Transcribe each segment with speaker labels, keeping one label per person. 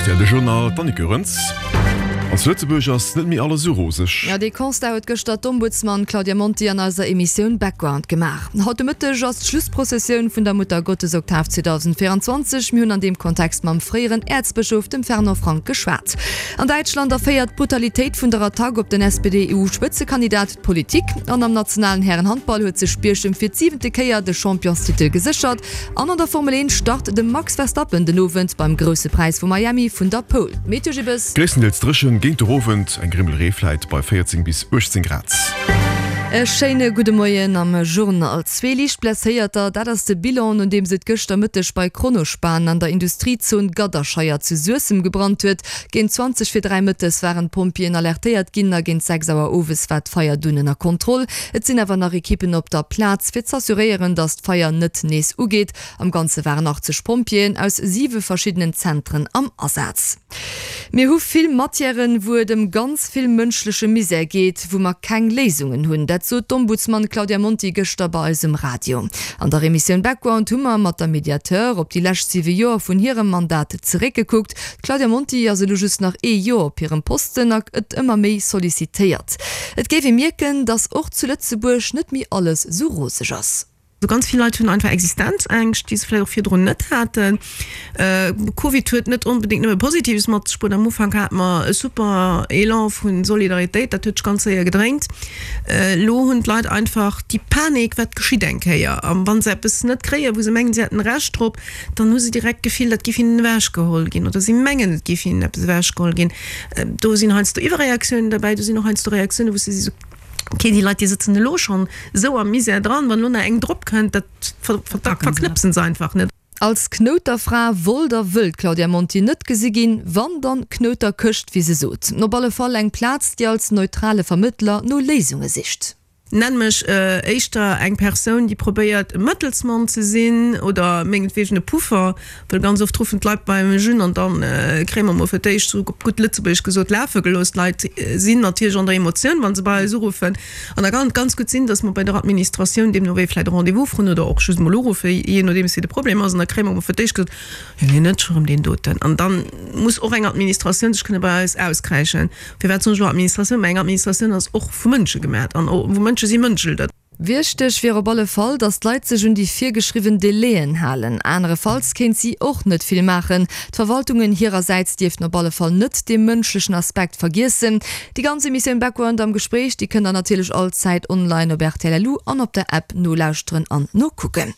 Speaker 1: Rtl De Journal, d'Annick Goerens. An zu Lëtzebuerg ass net méi alles esou roseg.
Speaker 2: Jo, dee Constat huet gëschter d'Ombudsman Claudia Monti an eiser Emissioun Background gemaach. Haut de Mëtteg ass d'Schlussprozessioun vun der Muttergottesoktav 2024. Mir hunn an deem Kontext mam fréieren Äerzbëschof, dem Fernand Frank, geschwat. An Däitschland erféiert d'Brutalitéit vun der Attack op den SPD-EU-Spëtzekandidat d'Politik. An am nationalen Härenhandball huet sech Bierchem fir d'siwente Kéier de Championstitel geséchert. An an der Formel 1 start de Max Verstappen den Owend beim Grousse Präis vu Miami vun der Pole. Meteo Gibbes.
Speaker 1: Gréisstendeels dréchen, géint de Owend eng Grimmel Ree vläit bei 14 bis 18 Grad.
Speaker 2: E schéine gudde Moien am Journal. Zwee liicht Blesséierter, dat ass de Bilan, nodeems et gëschter Mëtteg bei Kronospan an der Industriezon Gadderscheier zu Suessem gebrannt huet. Géint 20 vir 3 mëttes waren d'Pompjeeën alertéiert ginn a géint 6 Auer owes war d'Feier dunn ënner Kontroll. Et sinn awer nach Ekippen op der Plaz, fir z'assuréieren, datt d'Feier net nees ugeet. Am Ganze waren 80 Pompjeeën aus siwe verschiddenen Zentren am Asaz. Mir hu vill Matièren, wou et ëm ganz vill mënschleche Misär geet, wou mer keng Léisungen hunn. Dat sot d'Ombudsman Claudia Monti gëschter bei eis um Radio. An der Emissioun Background hu mer mat der Mediateur op déi lescht siwe Joer vun hirem Mandat zeréckgekuckt. D'Claudia Monti ass elo just nach ee Joer op hirem Posten a gëtt ëmmer méi sollicitéiert. Et géif ee mierken, datt och zu Lëtzebuerg net méi alles esou roseg ass.
Speaker 3: Ganz vill Leit hunn einfach Existenzängscht, déi se vläicht och virdrun net haten. Covid huet net onbedéngt nëmme Positives mat sech bruet. Am Ufank hate mer e super Elan vu Solidaritéit, dat huet sech ganz séier gedréint. Elo hunn d'Leit einfach déi Panik, wat geschitt eng Kéier? A wa se eppes net kréien, wou se mengen, se hätten Recht drop, dann hu se direkt d'Gefill, dat géif hinnen ewechgeholl ginn oder si mengen, et géif hinnen eppes ewechgeholl ginn. Do sinn heiansdo Iwwerreaktiounen derbäi, do sinn och heiansdo Reaktiounen, wou s de sees, ok, déi Leit, déi sëtzen elo schonn esou am Misär dran, wann elo nach eng drop kënnt, dat verknëpse se einfach net.
Speaker 2: Als Knouterfra wollt a wëll d'Claudia Monti net gesi ginn, wann dann Knouterkëscht, wéi se sot. Op alle Fall eng Plaz, déi als neutrale Vermëttler no Léisunge sicht.
Speaker 3: Nenn mech éischter eng Persoun, déi probéiert e Mëttelsmann ze sinn oder mengetwegen e Puffer, well ganz oft ruffen d'Leit bei mech un an dann kréie mer mol fir d'éischt, sou op gutt Lëtzebuergesch gesot, lafe gelooss. D'Leit sinn natierlech an der Emotioun, wa se bei eis uruffen an da kann et ganz gutt sinn, datt mer bei der Administratioun deemno wéi vläicht e Rendez-vous froen oder och just mol uruffen, jee nodeems wéi de Problem ass an da kréie mer mol fir d'éischt gesot, Jo, nee, net scho rëm deen doten. An dann muss och eng Administratioun sech kënne bei eis auskräischen. Firwat soen ech elo Administratioun? Mä eng Administratioun ass och vu Mënsche gemat an vu Mënsche si mënschelt et.
Speaker 2: Wichteg wier op alle Fall, datt d'Leit sech un déi virgeschriwwen Delaien halen. Anerefalls kéint si och net vill maachen. D'Verwaltungen hirersäits dierften op alle Fall net dee mënschlechen Aspekt vergiessen. Déi ganz Emissioun Background am Gespréich, déi kënnt der natierlech all Zäit online op rtl.lu an op der App nolauschteren an nokucken.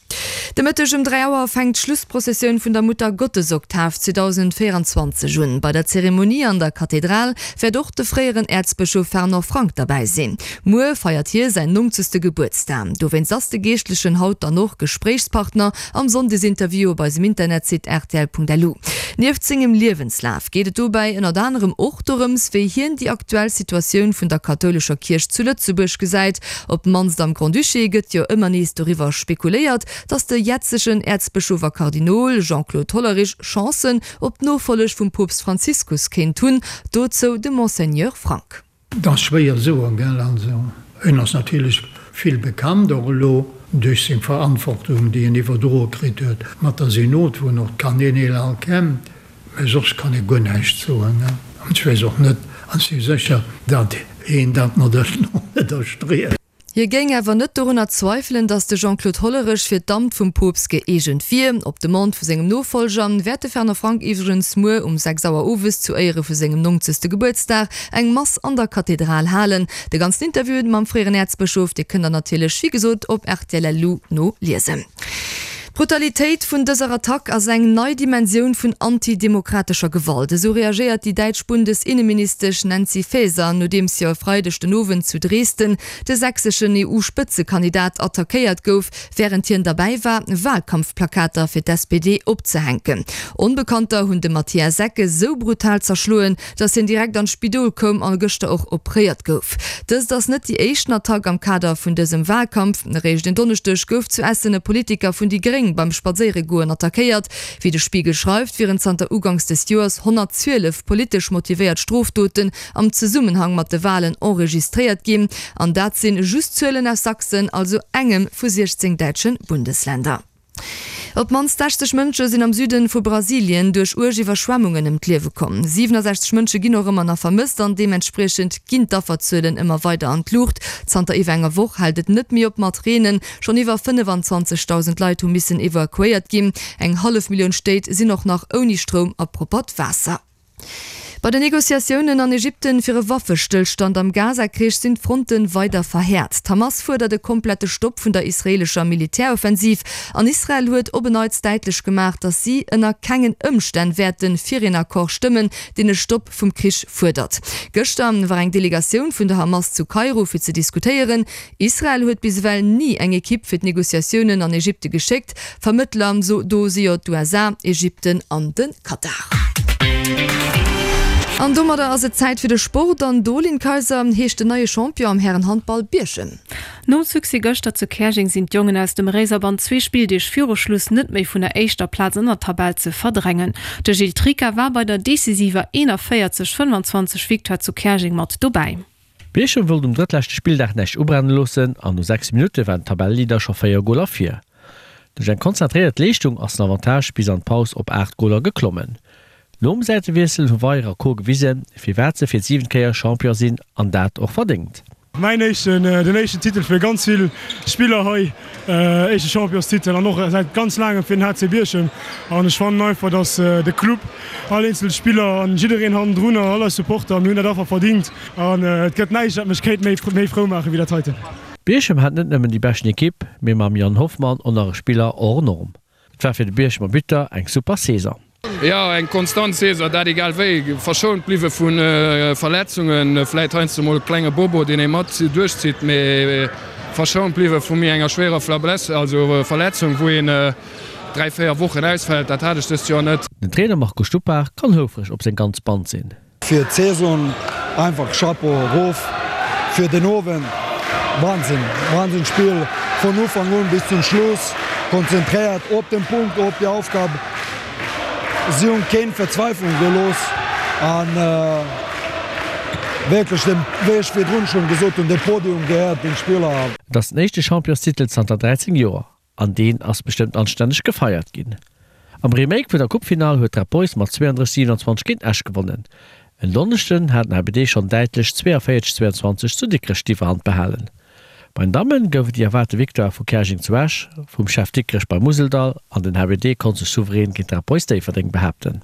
Speaker 2: De Mëtteg um 3 Auer fänkt d'Schlussprozessioun vun der Muttergottesoktav 2024 un. Bei der Zeremonie an der Kathedral wäert och de fréieren Äerzbëschof Fernand Frank derbäi sinn. Muer feiert hie säin nongzegste Gebuertsdag. Dowéinst ass de Geeschtlechen haut dann och Gespréichspartner am Sonndesinterview op eisem Internetsite rtl.lu. Nieft sengem Liewenslaf geet et dobäi ënnert anerem och dorëms, wéi hien déi aktuell Situatioun vun der kathoulescher Kierch zu Lëtzebuerg gesäit. Op d'mannst am Grand-Duché gëtt jo ëmmer nees doriwwer spekuléiert, datt de jetzegen Äerzbëschof a Kardinol Jean-Claude Hollerich Chancen op d'Nofolleg vum Poopst Franziskus kéint hunn. Dozou de Monseigneur Frank.
Speaker 4: Et ass schwéier soen, gell. Also en ass natierlech vill bekannt, och elo duerch seng Verantwortung, déi en iwwerdroe kritt huet mat der Synod, wou en och d'Kanäl all kennt. Mä soss kann ee guer näischt soen. An ech weess och net, an ech si sécher, datt een dat mat net erstreet.
Speaker 2: Hie géing awer net dorunner zweifelen, datt de Jean-Claude Hollerech fir d'Amt vum Poopst gëeegent wier. Op Demande vu sengem Nofollger wäert de Fernand Frank iwwregens muer um 6 Auer owes zu Éiere vu sengem nongzegste Gebuertsdag eng Mass an der Kathedral halen. De ganzen Interview mam fréieren Äerzbëschof, dee kënnt der natierlech wéi gesot op rtl.lu noliesen. D'Brutalitéit vun dëser Attack ass eng nei Dimensioun vun antidemokratescher Gewalt. Esou reagéiert déi däitsch Bundesinneministesch Nancy Faeser, nodeems jo e Freideg den Owend zu Dresden de sächseschen EU-Spëtzekandidat attackéiert gouf, wärend hien derbäi war, Walkampfplakater fir d'SPD opzehänken. Onbekannter hunn de Matthias Secke sou brutal zerschloen, dass hien direkt an d'Spidol koum a gëschter och opréiert gouf. Dëst ass net déi éischten Attack am Kader vun dësem Walkampf. Eréischt en Donneschdeg gouf zu Essen e Politiker vun déi Gréng beim Spadséieregoen attackéiert. Wéi de Spiegel schreift, wieren zanter uganks des Joers 112 politesch motivéiert Strofdoten am Zesummenhang mat de Walen enregistréiert ginn. An dat sinn just Zuelen aus Sachsen, also engem vu 16 däitsche Bundesländer. Op d'mannst 60 Mënsche sinn am Süden vu Brasilien duerch uerg Iwwerschwemmungen ëm d'Liewe komm. 67 Mënsche ginn och ëmmer nach vermësst an deementspriechend ginn d'Afferzuelen ëmmer weider an d'Luucht. Zanter iwwer enger Woch hält et net méi op mat Reenen. Schonn iwwer 25.000 Leit hu missen evakuéiert ginn. Eng hallef Millioun Stéit sinn och nach ouni Stroum a proppert Waasser. Bei den Negociatiounen an Ägypten fir e Waffestëllstand am Gaza-Krich sinn d'Fronte weider verhäert. D'Hamas fuerdert e komplette Stopp vun der israeelescher Militäroffensiv an Israel huet op en Neits däitlech gemaach, datt si ënner kengen Ëmstänn wäerte fir een Accord stëmmen, deen e Stopp vum Krich fuerdert. Gëschter war eng Delegatioun vun der Hamas zu Kairo fir ze diskutéieren. Israel huet bis ewell ni eng Ekipp fir d'Negociatiounen an Ägypte geschéckt. Vermëttler do si jo d'USA, Ägypten an de Katar. An domadder ass et Zäit fir de Sport an do, Lynn Kayser, heescht den neie Champion am Härenhandball Bierchem.
Speaker 5: Nom Succès gëschter zu Käerjeng sinn d'Jongen aus dem Réiserband zwee Spilldeeg viru Schluss net méi vun der éischter Plaz an der Tabell ze verdrängen. De Gilles Tricca war bei der decisiver 41, 25 Victoire zu Käerjeng mat dobäi.
Speaker 6: Bierchem wollt um drëttleschte Spilldag näischt ubrenne loossen an no 6 Minutte waren d'Tabelleleader scho 4 Goler vir. Duerch eng konzentréiert Leeschtung ass den Avantage bis an d'Paus op 8 Goler geklommen. Nom Säitewiessel hu Weier a Co gewisen, firwat se fir d'siwent Kéier Champion sinn an dat och verdéngt.
Speaker 7: Mäin éischten, den éischten Titel fir ganz vill Spiller hei, éischte Championstitel an och säit ganz laangem fir den HC Bierchem. An ech fannen einfach, dass de Club, all eenzel Spiller an jiddereen hannendrun an all eis Supporter, mir hunn dat einfach verdingt. An et gëtt näischt, wat mech kéint méi méi frou maachen, wéi dat heiten.
Speaker 6: Bierchem hat net nëmmen déi beschten Ekipp, mee mam Yann Hoffmann och nach e Spiller hors norme. Et war fir de Bierchemer Buteur eng super Saison.
Speaker 8: Jo, eng konstant Saison, dat egal wéi. Verschount bliwwe vu Verletzungen, vläit heiansdo mol e klenge Bobo, deen ee mat duerchzitt, mee verschount bliwwe vu méi enger schwéierer Flablesse, also Verletzung, wou een 3, 4 Wochen ausfält. Dat hat ech dëst Joer net.
Speaker 6: Den Trainer Marco Stupar kann houfreg op seng ganz Band sinn.
Speaker 9: Fir d'Saison einfach Chapeau erof fir den Owend. Wahnsinn, Wahnsinn Spill vun Ufank un bis zum Schluss, konzentréiert op den Punkt, op déi Aufgab. Si hunn keen Verzweiflung gelooss an wierklech den, wéi ech virdrun schonn gesot hunn, de Podium gehéiert den Spiller.
Speaker 6: Et ass den éischte Championstitel zanter 13 Joer. An deen ass bestëmmt anstänneg gefeiert ginn. Am Remake vun der Coupefinall huet d'Red Boys mat 32, 27 géint Esch gewonnen. En Donneschden hat den HBD schonn däitlech 42, 22 zu Dikrech d'Iwwerhand behalen. Bei den Damme gouf et déi erwaarte Victoire vu Käerjeng zu Esch, vum Chef Dikrech beim Museldall an den HBD konnt sech souverän géint d'Red Boys Déifferdeng behaapten.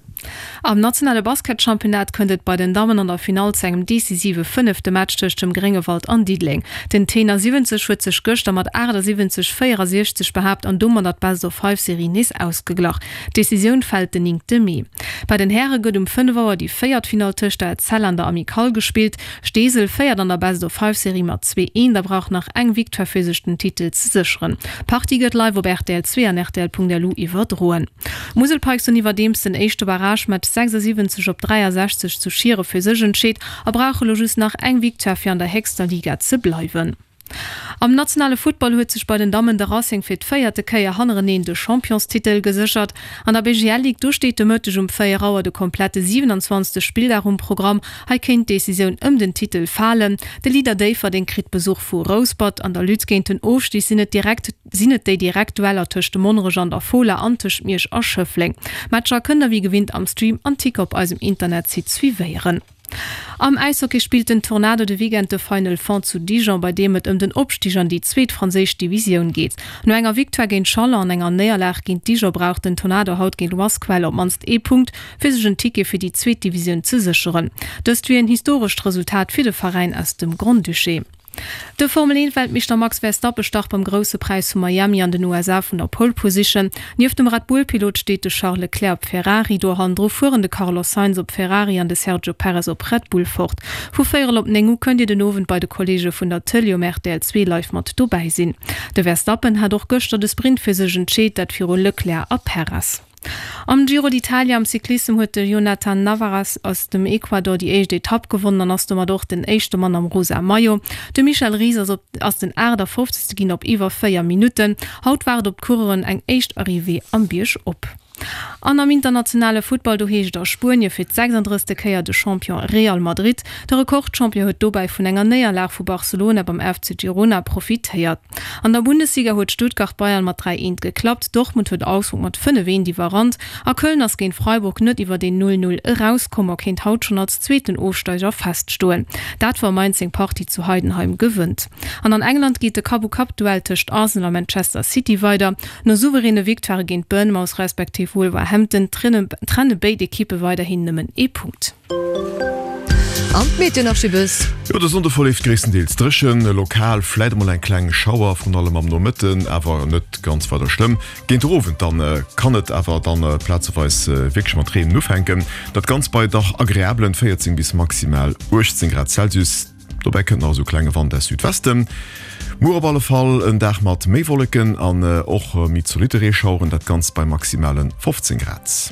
Speaker 5: Am nationale Basketchampionnat kënnt et bei den Dammen an der Finall zu engem decisive fënnefte Match tëscht dem Gréngewald an Diddeleng. Den Tenor 70 huet sech gëschter mat 78, 64 behaapt an domadder d'Best-of-Five-Serie nees ausgeglach. D'Decisioun fält den néngte Mee. Bei den Häre gëtt um 5 Auer déi véiert Finall tëscht der Etzella an der Amicale gespillt. Steesel féiert an der Best-of-Five-Serie mat 2, 1 a brauch nach eng Victoire fir sech den Titel ze sécheren. D'Partie gëtt live op rtl 2 an rtl.lu iwwerdroen. D'Musel Pikes hunn iwwerdeems den éischte Barragematch 76 op 63 zu Schiere fir sech entscheet a brauche lo just nach eng Victoire fir an der héchster Liga ze bleiwen. Am nationale Futtball huet sech bei den Dammen de Racing fir d'véierte Kéier hannereneen de Championstitel geséchert. An der BGL Ligue do steet de Mëtteg um 4 Auer de komplette 27. Spilldag um Programm. Hei kéint d'Decisioun ëm den Titel falen. De Leader Déifferdeng kritt Besuch vu Rouspert. An der Lutte géint den Ofstig sinn et direkt sinn et déi direkt Dueller tëscht dem Monnerech an der Fola an tëscht Miersch a Schëffleng. D'Matcher kënnt der wéi gewinnt am Stream an Ticker op eisem Internetsite suivéieren. Am Äishockey spillt den Tornado de Weekend de Final Four zu Dijon, bei deem et ëm den Opstig an déi zweet franséisch Divisioun geet. No enger Victoire géint Chalon an enger Néierlag géint Dijon brauch den Tornado haut géint Wasquehal op d'mannst ee Punkt, fir sech en Ticket fir déi zweet Divisioun ze sécheren. Dëst wier en historescht Resultat fir de Veräin aus dem Grand-Duché. De Formel-Eent-Weltmeeschter Max Verstappen start beim Grousse Präis vu Miami an den USA vun der Pole Position. Nieft dem Red-Bull-Pilot steet de Charles Leclerc op Ferrari. Do hannendru fueren de Carlos Sainz op Ferrari an de Sergio Perez op Red Bull fort. Vu véierel op 9 u kënnt Dir den Owend bei de Kolleege vun der Tëlee um rtl 2 live mat dobäi sinn. De Verstappen hat och gëschter de Sprint fir sech entscheet, dat viru Leclerc a Perez. Am Giro d'Italia am Cyclissem huet de Jhonatan Navarez aus dem Ecuador déi éischt Etapp gewonnen an ass domat och den éischte Mann am rosa Maillot. De Michel Ries ass op ass den 58. ginn op iwwer 4 Minutten. Haut waart op d'Coureuren eng éischt Arrivée am Bierg op. An am internationale Futtball, do heescht et a Spuenie fir d' 36. Kéier de Champion Real Madrid. De Rekordchampion huet dobäi vun enger Néierlag vu Barcelona beim FC Girona profitéiert. An der Bundesliga huet Stuttgart Bayern mat 3, 1 geklappt, Dortmund huet Augsburg mat 5, 1 iwwerrannt a Köln ass géint Freiburg net iwwert een 0, 0 erauskomm a kéint haut schonn als zweeten Ofsteiger feststoen. Dat wa Mainz seng Partie zu Heidenheim gewënnt. An an England geet de Kapp-u-Kapp-Duell tëscht Arsenal a Manchester City weider. No souveräne Victoirë géint Bournemouth respektiv Wolverhampton trenne béid Ekippe weiderhin nëmmen ee Punkt.
Speaker 2: An d'Meteo nach Schibbes.
Speaker 1: Jo, de Sonnde verleeft gréisstendeels dréchen, lokal vläit emol eng kleng Schauer, vrun allem am Nomëtten, awer net ganz weider schlëmm. Géint de Owend dann kann et awer dann plazeweis wierklech mat Reen ufänken, dat Ganzt bei dach agreablen 14 bis maximal 18 Grad Celsius. Dobäi kënnt nach esou klenge Wand aus Südwesten. Muer op alle Fall en Dag mat méi Wolleken an och méi zolitte Reeschaueren, dat Ganzt bei maximale 15 Grad.